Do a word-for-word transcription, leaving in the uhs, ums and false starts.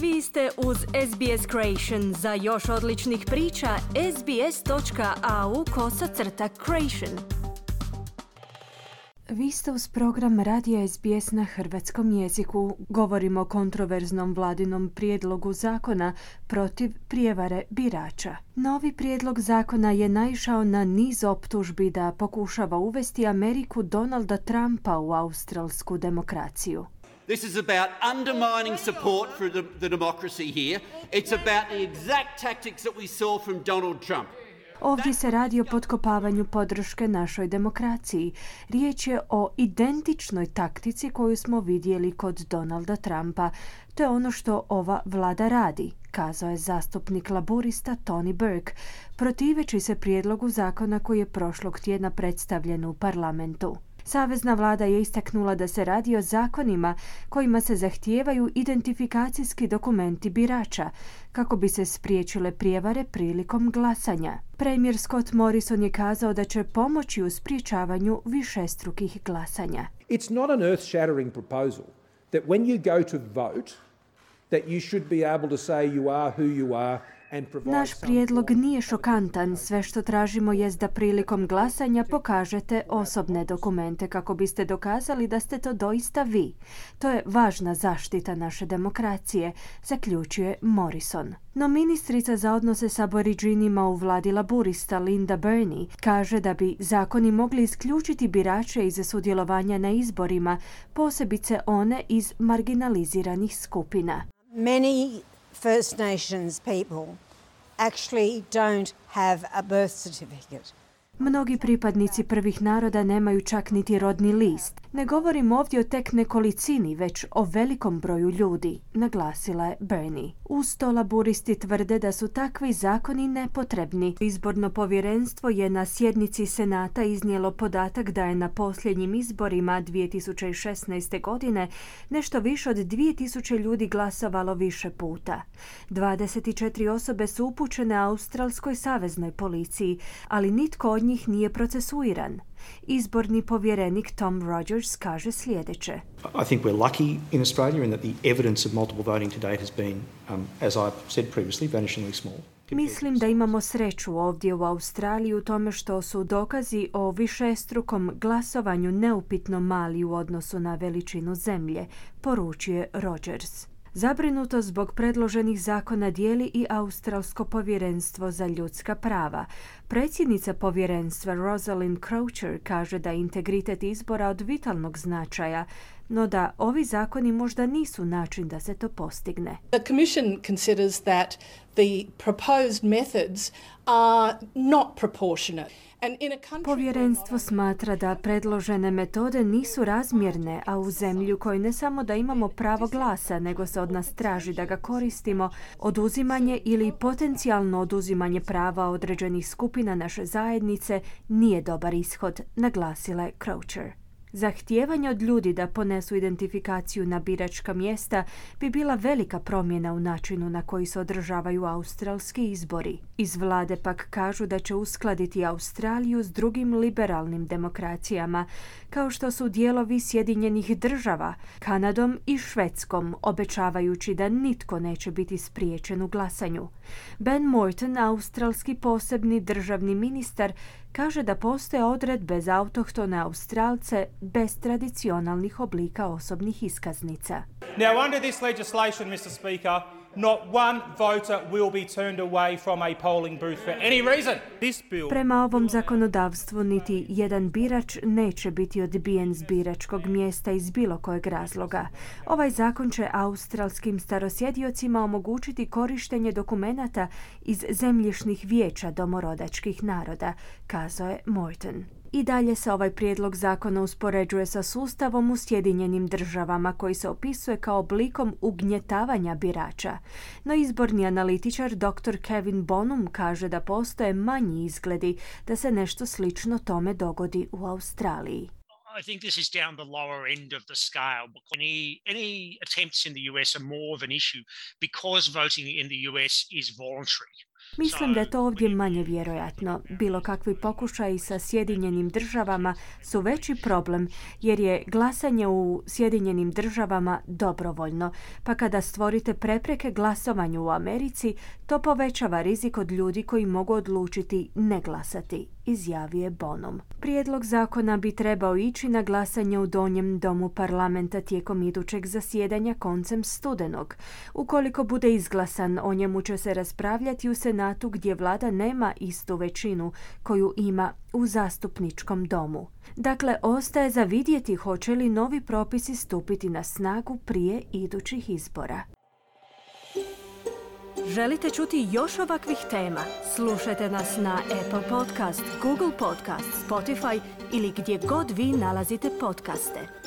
Vi ste uz S B S Creation. Za još odličnih priča, sbs.au kosacrta creation. Vi ste uz program Radija S B S na hrvatskom jeziku. Govorimo o kontroverznom vladinom prijedlogu zakona protiv prijevare birača. Novi prijedlog zakona je naišao na niz optužbi da pokušava uvesti Ameriku Donalda Trumpa u australsku demokraciju. This is about undermining support for the, the democracy here. It's about the exact tactics that we saw from Donald Trump. Ovdje se radi o potkopavanju podrške našoj demokraciji. Riječ je o identičnoj taktici koju smo vidjeli kod Donalda Trumpa. To je ono što ova vlada radi, kazao je zastupnik laburista Tony Burke, protiveći se prijedlogu zakona koji je prošlog tjedna predstavljen u parlamentu. Savezna vlada je istaknula da se radi o zakonima kojima se zahtijevaju identifikacijski dokumenti birača kako bi se spriječile prijevare prilikom glasanja. Premijer Scott Morrison je kazao da će pomoći u sprječavanju višestrukih glasanja. It's not an earth-shattering proposal that when you go to vote that you should be able to say you are who you are. Naš prijedlog nije šokantan. Sve što tražimo jest da prilikom glasanja pokažete osobne dokumente kako biste dokazali da ste to doista vi. To je važna zaštita naše demokracije, zaključuje Morrison. No ministrica za odnose s aboriđinima u vladi laburista Linda Burney kaže da bi zakoni mogli isključiti birače iz sudjelovanja na izborima, posebice one iz marginaliziranih skupina. Many First Nations people actually don't have a birth certificate. Mnogi pripadnici prvih naroda nemaju čak niti rodni list. Ne govorim ovdje o tek nekolicini, već o velikom broju ljudi, naglasila je Burney. Uz to laburisti tvrde da su takvi zakoni nepotrebni. Izborno povjerenstvo je na sjednici Senata iznijelo podatak da je na posljednjim izborima dvije tisuće šesnaeste. godine nešto više od dvije tisuće ljudi glasovalo više puta. dvadeset četiri osobe su upućene australskoj saveznoj policiji, ali nitko od njih nije procesuiran. Izborni povjerenik Tom Rogers kaže sljedeće. I think we're lucky in Australia in that the evidence of multiple voting to date has been, um, as I've said previously, vanishingly small. Mislim da imamo sreću ovdje u Australiji u tome što su dokazi o višestrukom glasovanju neupitno mali u odnosu na veličinu zemlje, poručuje Rogers. Zabrinuto zbog predloženih zakona dijeli i Australsko povjerenstvo za ljudska prava. Predsjednica povjerenstva Rosalind Croucher kaže da je integritet izbora od vitalnog značaja, no da ovi zakoni možda nisu način da se to postigne. The Commission considers that the proposed methods are not proportionate. Povjerenstvo smatra da predložene metode nisu razmjerne, a u zemlji u kojoj ne samo da imamo pravo glasa, nego se od nas traži da ga koristimo, oduzimanje ili potencijalno oduzimanje prava određenih skupina naše zajednice nije dobar ishod, naglasila je Croucher. Zahtijevanje od ljudi da ponesu identifikaciju na biračka mjesta bi bila velika promjena u načinu na koji se održavaju australski izbori. Iz vlade pak kažu da će uskladiti Australiju s drugim liberalnim demokracijama, kao što su dijelovi Sjedinjenih država, Kanadom i Švedskom, obećavajući da nitko neće biti spriječen u glasanju. Ben Morton, australski posebni državni ministar, kaže da postoje odredbe za autohtone Australce bez tradicionalnih oblika osobnih iskaznica. Now, under this legislation, mister Speaker, not one voter will be turned away from a polling booth for any reason. This bill... Prema ovom zakonodavstvu niti jedan birač neće biti odbijen s biračkog mjesta iz bilo kojeg razloga. Ovaj zakon će australskim starosjediocima omogućiti korištenje dokumenata iz zemljišnih vijeća domorodačkih naroda, kazao je Morton. I dalje se ovaj prijedlog zakona uspoređuje sa sustavom u Sjedinjenim državama koji se opisuje kao oblikom ugnjetavanja birača. No izborni analitičar doktor Kevin Bonham kaže da postoje manji izgledi da se nešto slično tome dogodi u Australiji. I think this is down the lower end of the scale. Any, any attempts in the U S are more of an issue because voting in the U S is voluntary. Mislim da je to ovdje manje vjerojatno. Bilo kakvi pokušaji sa Sjedinjenim državama su veći problem jer je glasanje u Sjedinjenim državama dobrovoljno, pa kada stvorite prepreke glasovanju u Americi, to povećava rizik od ljudi koji mogu odlučiti ne glasati, izjavio je Bonham. Prijedlog zakona bi trebao ići na glasanje u donjem domu parlamenta tijekom idućeg zasjedanja koncem studenog. Ukoliko bude izglasan, o njemu će se raspravljati u Senatu gdje vlada nema istu većinu koju ima u zastupničkom domu. Dakle, ostaje za vidjeti hoće li novi propisi stupiti na snagu prije idućih izbora. Želite čuti još ovakvih tema? Slušajte nas na Apple Podcast, Google Podcast, Spotify ili gdje god vi nalazite podcaste.